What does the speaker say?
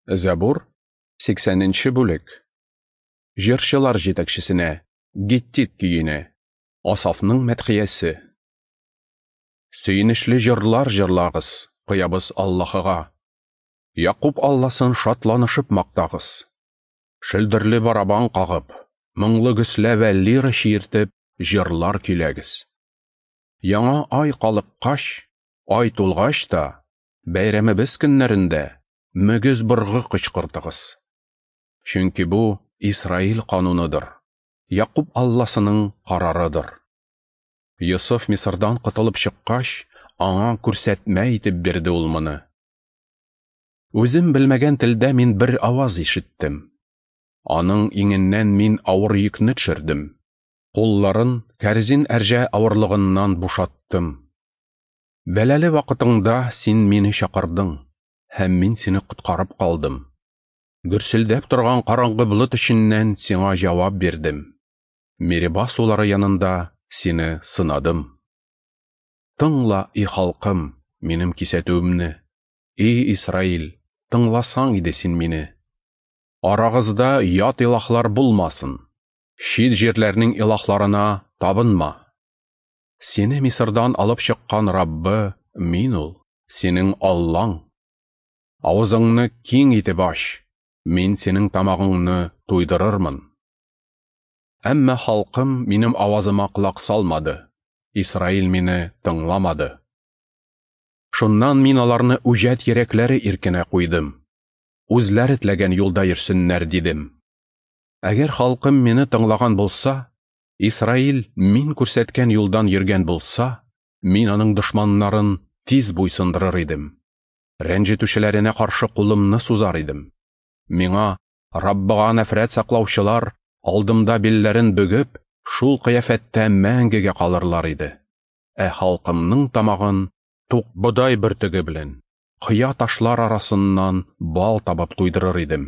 Зәбур, 80 нче бүлек. Җырчылар җитәкчесенә, Гиттит көенә, Асафның мәдхиясе. Сөенечле җырлар җырлагыз, Коябыз Аллаһыга. Якуб Алласын шатланышып мактагыз. Шөлдерле барабан кагып, моңлы гөслә вә лира чиертеп, җырлар көйләгез. Яңа ай калыккач, ай тулгач та, бәйрәмебез көннәрендә мөгез быргы кычкыртыгыз. Чөнки бу Исраил кануныдыр, Якуб Алласының карарыдыр. Йосыф Мисырдан котылып чыккач, аңа күрсәтмә итеп бирде ул моны. Үзем белмәгән телдә мин бер аваз ишеттем. Аның иңеннән мин авыр йөкне төшердем. Кулларын кәрзин әрҗә авырлыгыннан бушаттым. Бәлале вакытыңда син мине чакырдың, һәм мин сине коткарып калдым. Гөрселдәп торган караңгы болыт эченнән сиңа җавап бирдем. Мериба сулары янында сине сынадым. Тыңла, и халкым, минем кисәтүемне. И Исраил, тыңласаң иде син мине. Арагызда ят илаһлар булмасын. Чит җирләрнең илаһларына табынма. Сине Мисырдан алып чыккан Раббы мин ул, синең Аллаң. Авызыңны киң итеп ач, мин синең тамагыңны туйдырырмын. Әмма халкым минем авазыма колак салмады, Исраил мине тыңламады. Шуннан мин аларны үҗәт йөрәкләре иркенә куйдым. Үзләре теләгән юлда йөрсеннәр, дидем. Әгәр халкым мине тыңлаган булса, Исраил мин күрсәткән юлдан йөргән булса, мин аның дошманнарын тиз буйсындырыр идем. Рәнҗетүчеләренә каршы кулымны сузар идем. Миңа Раббыга нәфрәт саклаучылар алдымда билләрен бөгеп, шул кыяфәттә мәңгегә калырлар иде. Ә халкымның тамагын тук бодай бөртеге белән, кыя ташлар арасыннан бал табып туйдырыр идем.